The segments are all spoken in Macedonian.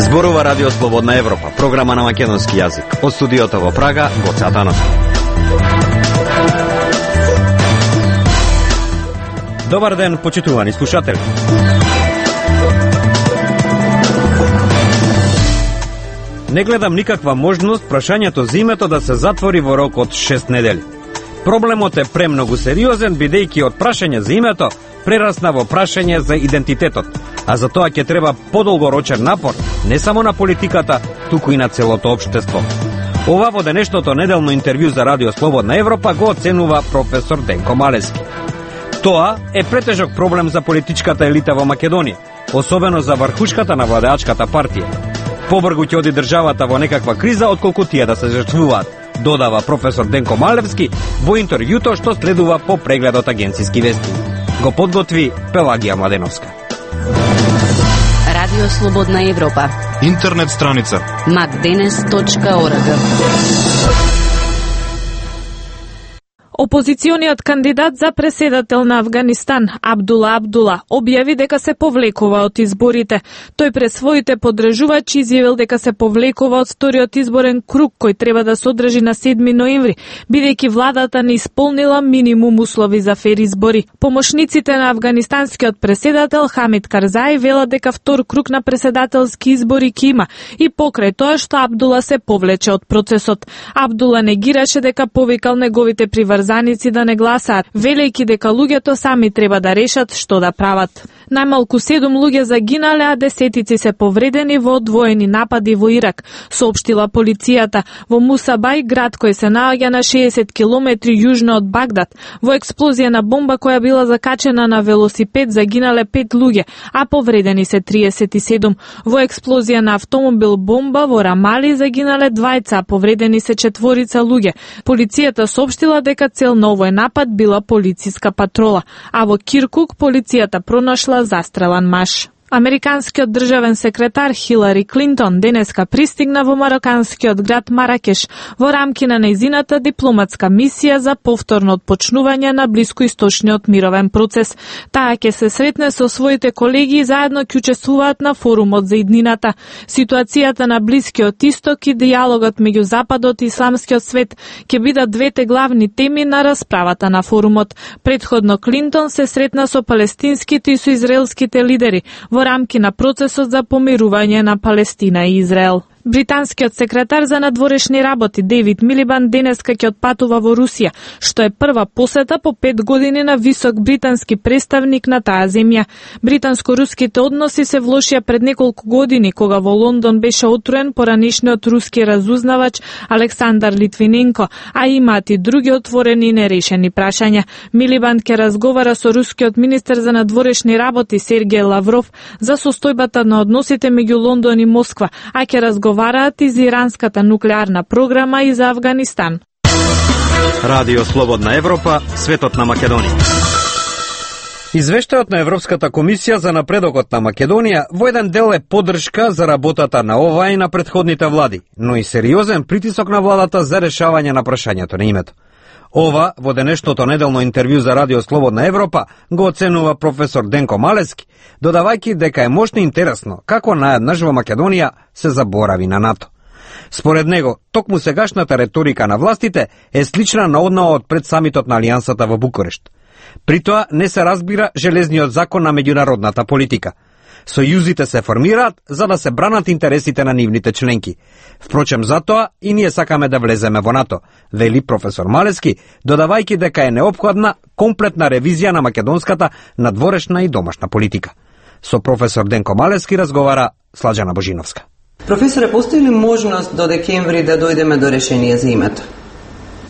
Зборува Радио Слободна Европа, програма на македонски јазик. Од студиото во Прага, Гоце Атановски. Добар ден, почитувани слушатели. Не гледам никаква можност прашањето за името да се затвори во рок од 6 недели. Проблемот е премногу сериозен, бидејќи од прашање за името прерасна во прашање за идентитетот, а за тоа ќе треба подолгорочен напор, не само на политиката, туку и на целото општество. Ова во денешното неделно интервју за Радио Слободна Европа го оценува професор Денко Малевски. Тоа е претежок проблем за политичката елита во Македонија, особено за врхушката на владеачката партија. Побргу ќе оди државата во некаква криза, отколку тие да се жртвуваат, додава професор Денко Малевски во интервјуто што следува по прегледот агенцијски вести. Го подготви Пелагија Младеновска. Радио Слободна Европа. Интернет страница macdenes.org. Опозициониот кандидат за преседател на Авганистан, Абдула Абдула, објави дека се повлекува од изборите. Тој пред своите подржувачи изјавил дека се повлекува од вториот изборен круг кој треба да се одржи на 7 ноември, бидејќи владата не исполнила минимум услови за фер избори. Помошниците на афганистанскиот преседател Хамид Карзаи велат дека втор круг на преседателски избори ќе има и покрај тоа што Абдула се повлече од процесот. Абдула негираше дека повикал неговите приврзаници да не гласаат, велејќи дека луѓето сами треба да решат што да прават. Најмалку 7 луѓе загинале, а десетици се повредени во одвоени напади во Ирак, соопштила полицијата во Мусабај, град кој се наоѓа на 60 километри јужно од Багдад. Во експлозија на бомба која била закачена на велосипед загинале 5 луѓе, а повредени се 37. Во експлозија на автомобил бомба во Рамали загинале 2, а повредени се 4 луѓе. Полицијата соопштила дека цел на овој напад била полициска патрола, а во Киркук полицијата пронашла застрелан маж. Американскиот државен секретар Хилари Клинтон денеска пристигна во мароканскиот град Маракеш во рамки на нејзината дипломатска мисија за повторно отпочнување на блискоисточниот мировен процес. Таа ќе се сретне со своите колеги и заедно ќе учествуваат на форумот за иднината. Ситуацијата на Блискиот Исток и дијалогот меѓу Западот и исламскиот свет ќе бидат двете главни теми на расправата на форумот. Претходно Клинтон се сретна со палестинските и со израелските лидери во рамки на процесот за помирување на Палестина и Израел. Британскиот секретар за надворешни работи Дейвид Милибанд денеска ќе отпатува во Русија, што е прва посета по 5 години на висок британски представник на таа земја. Британско-руските односи се влошија пред неколку години, кога во Лондон беше отруен поранишниот руски разузнавач Александар Литвиненко, а имаат и други отворени и нерешени прашања. Милибанд ќе разговара со рускиот министер за надворешни работи Сергеј Лавров за состојбата на односите меѓу Лондон и Москва, а ќе разговараат и за иранската нуклеарна програма и за Авганистан. Радио Слободна Европа, светот на Македонија. Извештајот на Европската комисија за напредокот на Македонија во еден дел е поддршка за работата на оваа и на претходните влади, но и сериозен притисок на владата за решавање на прашањето на името. Ова, во денешното неделно интервју за Радио Слободна Европа, го оценува професор Денко Малевски, додавајќи дека е мощно интересно како наеднаш во Македонија се заборави на НАТО. Според него, токму сегашната реторика на властите е слична на однаа од пред самитот на Алијансата во Букурешт. При тоа не се разбира железниот закон на меѓународната политика. Сојузите се формираат за да се бранат интересите на нивните членки. Впрочем, затоа и ние сакаме да влеземе во НАТО, вели професор Малевски, додавајќи дека е неопходна комплетна ревизија на македонската надворешна и домашна политика. Со професор Денко Малевски разговара Сладжана Божиновска. Професоре, постои ли можност до декември да дојдеме до решение за името?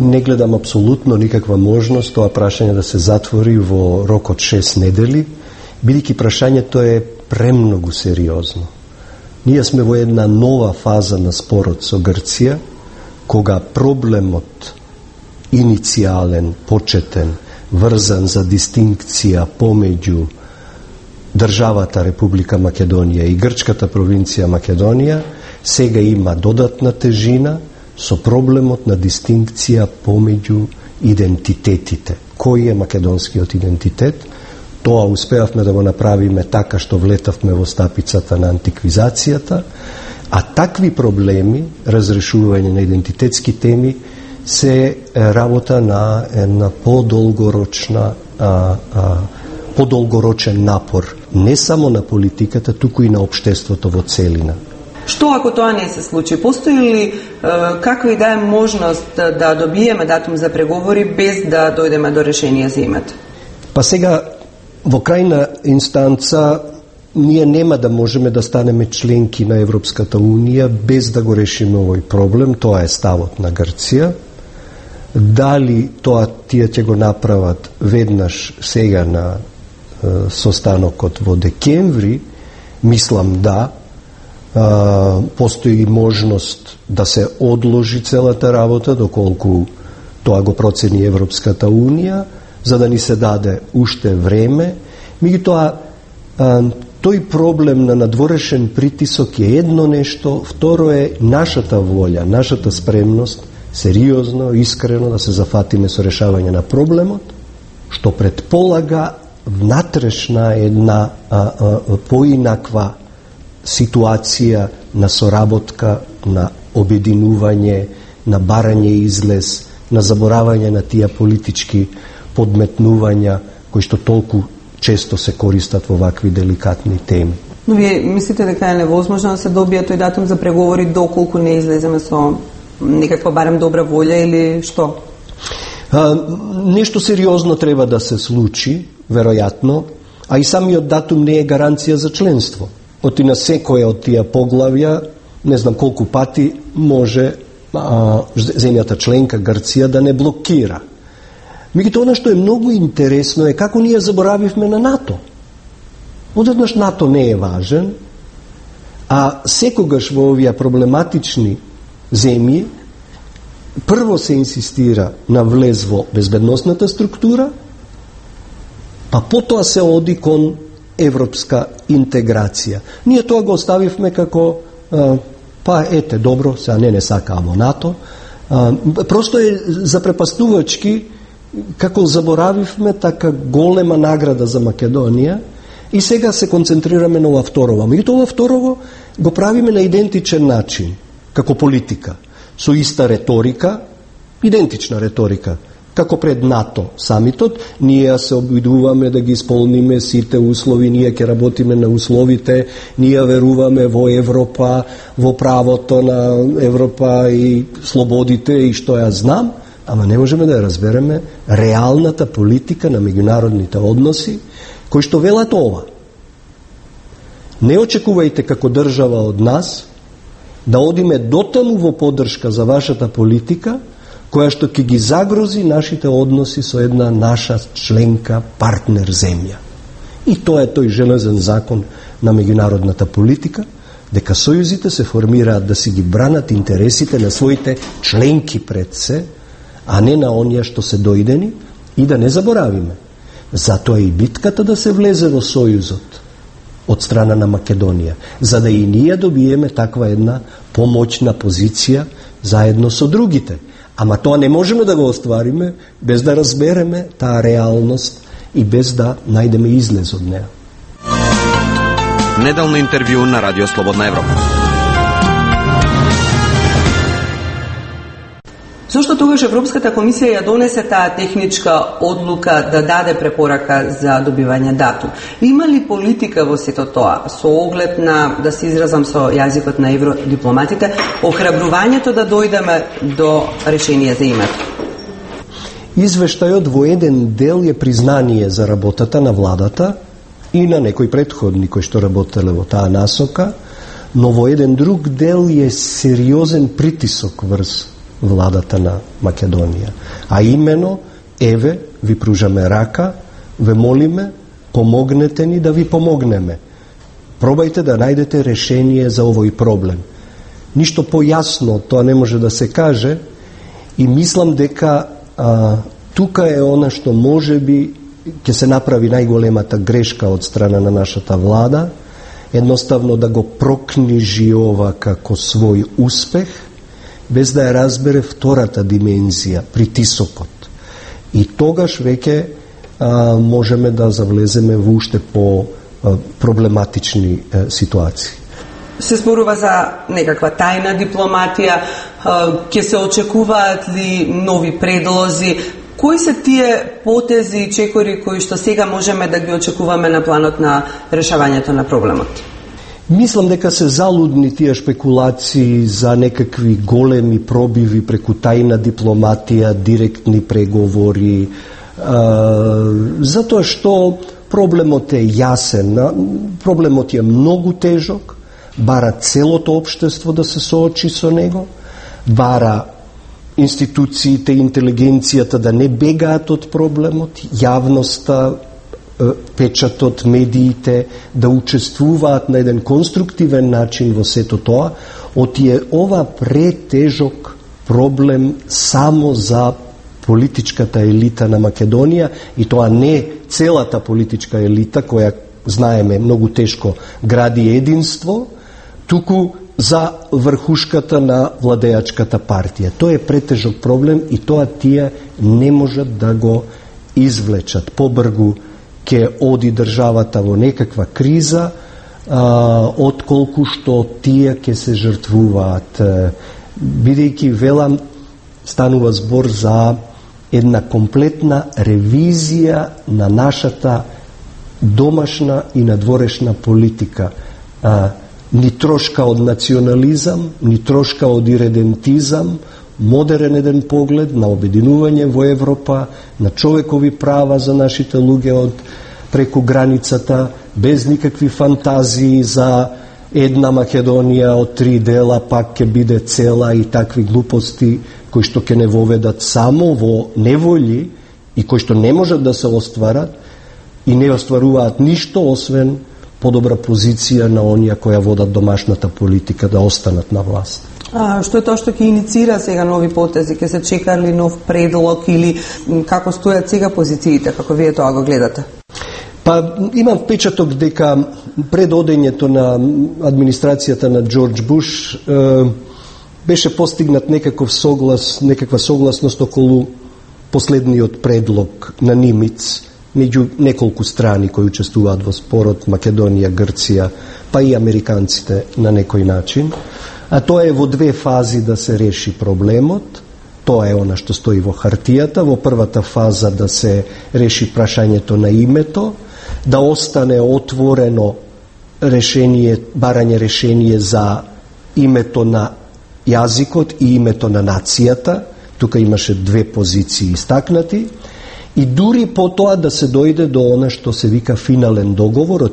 Не гледам апсолутно никаква можност тоа прашање да се затвори во рок од 6 недели, бидејќи прашањето е премногу сериозно. Ние сме во една нова фаза на спорот со Грција, кога проблемот иницијален, почетен, врзан за дистинкција помеѓу државата Република Македонија и грчката провинција Македонија, сега има додатна тежина со проблемот на дистинкција помеѓу идентитетите. кој е македонскиот идентитет. Тоа успеавме да го направиме така што влетавме во стапицата на антиквизацијата, а такви проблеми, разрешување на идентитетски теми, се работа на една подолгорочен напор, не само на политиката, туку и на општеството во целина. Што ако тоа не се случи? Постои ли каква и да е можност да добиеме датум за преговори без да дојдеме до решение за името? Па сега, во крајна инстанца, ние нема да можеме да станеме членки на Европската Унија без да го решиме овој проблем. Тоа е ставот на Грција. Дали тоа тие ќе го направат веднаш сега на состанокот во декември, мислам да. Постои можност да се одложи целата работа доколку тоа го процени Европската Унија, за да ни се даде уште време. Меѓутоа, тој проблем на надворешен притисок е едно нешто, второ е нашата волја, нашата спремност, сериозно, искрено да се зафатиме со решавање на проблемот, што предполага внатрешна една поинаква ситуација на соработка, на обединување, на барање излез, на заборавање на тие политички подметнувања кои што толку често се користат во вакви деликатни теми. Но вие мислите дека е невозможно да се добие тој датум за преговори доколку не излеземе со некаква барем добра волја или што? Нешто сериозно треба да се случи, веројатно, а и самиот датум не е гаранција за членство. Оти на секоја од тие поглавја, не знам колку пати, може земјата членка Грција да не блокира. Меѓутоа, она што е многу интересно е како ние заборавивме на НАТО. Одеднаш НАТО не е важен, а секогаш во овие проблематични земји прво се инсистира на влез во безбедносната структура, па потоа се оди кон европска интеграција. Ние тоа го оставивме како па ете, добро, сега не сакамо НАТО. Просто е запрепастувачки како заборавивме така голема награда за Македонија и сега се концентрираме на ова второво. Меѓутоа ова второво го правиме на идентичен начин, како политика, со иста реторика, идентична реторика, како пред НАТО самитот. Ние се обидуваме да ги исполниме сите услови, ние ќе работиме на условите, ние веруваме во Европа, во правото на Европа и слободите и што ја знам, ама не можеме да ја разбереме реалната политика на меѓународните односи, кои што велат ова. Не очекувајте како држава од нас да одиме дотаму во поддршка за вашата политика, која што ќе ги загрози нашите односи со една наша членка, партнер земја. И тоа е тој железен закон на меѓународната политика, дека сојузите се формираат да си ги бранат интересите на своите членки пред се, а не на оние што се дојдени, и да не заборавиме. Затоа и битката да се влезе во сојузот од страна на Македонија, за да и ние добиеме таква една помоćна позиција заедно со другите. Ама тоа не можеме да го оствариме без да разбереме таа реалност и без да најдеме излез од неа. Неделно интервју на Радио Слободна Европа. Зошто тогаш Европската комисија ја донесе таа техничка одлука да даде препорака за добивање датум? Има ли политика во сето тоа, со оглед на, да се изразам со јазикот на евродипломатите, охрабрувањето да дојдеме до решение за името? Извештајот во еден дел е признание за работата на владата и на некои претходни кои што работеле во таа насока, но во еден друг дел е сериозен притисок врз владата на Македонија. А имено, еве, ви пружаме рака, ве молиме, помогнете ни да ви помогнеме. Пробајте да најдете решение за овој проблем. Ништо појасно тоа не може да се каже и мислам дека тука е она што може би ќе се направи најголемата грешка од страна на нашата влада, едноставно да го прокнижи ова како свој успех, без да ја разбере втората димензија, притисокот. И тогаш веќе можеме да завлеземе во уште по проблематични ситуации. Се зборува за некаква тајна дипломатија, ќе се очекуваат ли нови предлози? Кои се тие потези и чекори кои што сега можеме да ги очекуваме на планот на решавањето на проблемот? Мислам дека се залудни тие шпекулации за некакви големи пробиви преку тајна дипломатија, директни преговори, затоа што проблемот е јасен, проблемот е многу тежок, бара целото општество да се соочи со него, бара институциите, интелигенцијата да не бегаат од проблемот, јавноста, печатот, медиите да учествуваат на еден конструктивен начин во сето тоа, оти е ова претежок проблем само за политичката елита на Македонија, и тоа не целата политичка елита која, знаеме, многу тешко гради единство, туку за врхушката на владеачката партија. Тоа е претежок проблем и тоа тие не можат да го извлечат. Побргу ќе оди државата во некаква криза, отколку што тие ќе се жртвуваат. Бидејќи, велам, станува збор за една комплетна ревизија на нашата домашна и надворешна политика. Ни трошка од национализам, ни трошка од иредентизам, модерен еден поглед на обединување во Европа, на човекови права за нашите луѓе од преку границата, без никакви фантазии за една Македонија од 3 дела пак ќе биде цела и такви глупости кои што ќе не воведат само во неволји и кои што не можат да се остварат и не остваруваат ништо освен подобра позиција на оние која водат домашната политика да останат на власт. Што е тоа што ќе иницира сега нови потези? Ќе се чека ли нов предлог или како стојат сега позициите, како вие тоа го гледате? Па имам впечаток дека пред одењето на администрацијата на Џорџ Буш беше постигнат некаква согласност околу последниот предлог на Нимиц меѓу неколку страни кои учествуваат во спорот, Македонија, Грција, па и американците на некој начин. А тоа е во 2 фази да се реши проблемот. Тоа е она што стои во хартијата. Во првата фаза да се реши прашањето на името, да остане отворено решение, барање решение за името на јазикот и името на нацијата. Тука имаше 2 позиции истакнати. И дури по тоа да се дојде до она што се вика финален договор.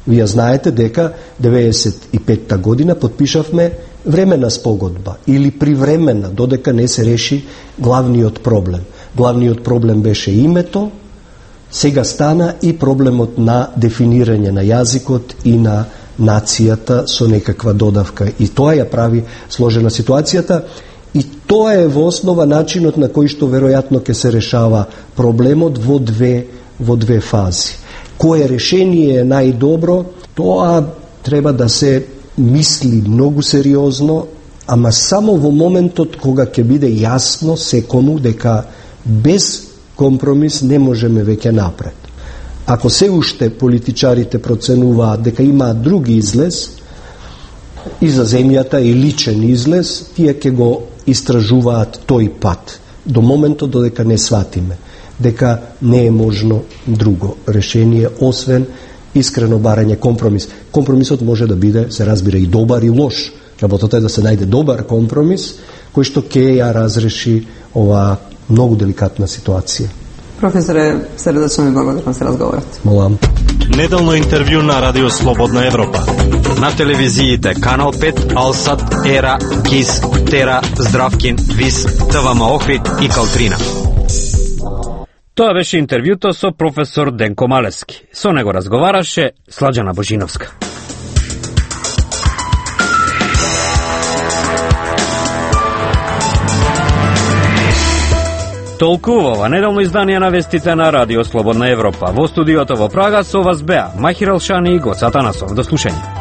Вие знаете дека 95-та година подпишавме времена спогодба или привремена, додека не се реши главниот проблем. Главниот проблем беше името, сега стана и проблемот на дефинирање на јазикот и на нацијата со некаква додавка. И тоа ја прави сложена ситуацијата. И тоа е во основа начинот на кој што веројатно ќе се решава проблемот во две фази. Кое решение е најдобро, тоа треба да се мисли многу сериозно, ама само во моментот кога ќе биде јасно секому дека без компромис не можеме веќе напред. Ако се уште политичарите проценуваат дека имаат други излез и за земјата и личен излез, тие ќе го истражуваат тој пат до моментот додека не сватиме дека не е можно друго решение освен искрено барање компромис. Компромисот може да биде, се разбира, и добар и лош. Работата е да се најде добар компромис кој што ќе ја разреши ова многу деликатна ситуација. Професоре, средечно ви благодарам за разговорот. Молам. Неделно интервју на Радио Слободна Европа. На телевизиите Канал 5, Алсат, Ера, КИС, Тера, Здравкин, ВИС, ТВМ Охрид и Калтрина. Тоа беше интервјуто со професор Денко Малески. Со него разговараше Сладжана Божиновска. Толку ова неделно издание на вестите на Радио Слободна Европа. Во студиото во Прага со вас беа Махир Алшани и Гоца Атанасов. До слушање.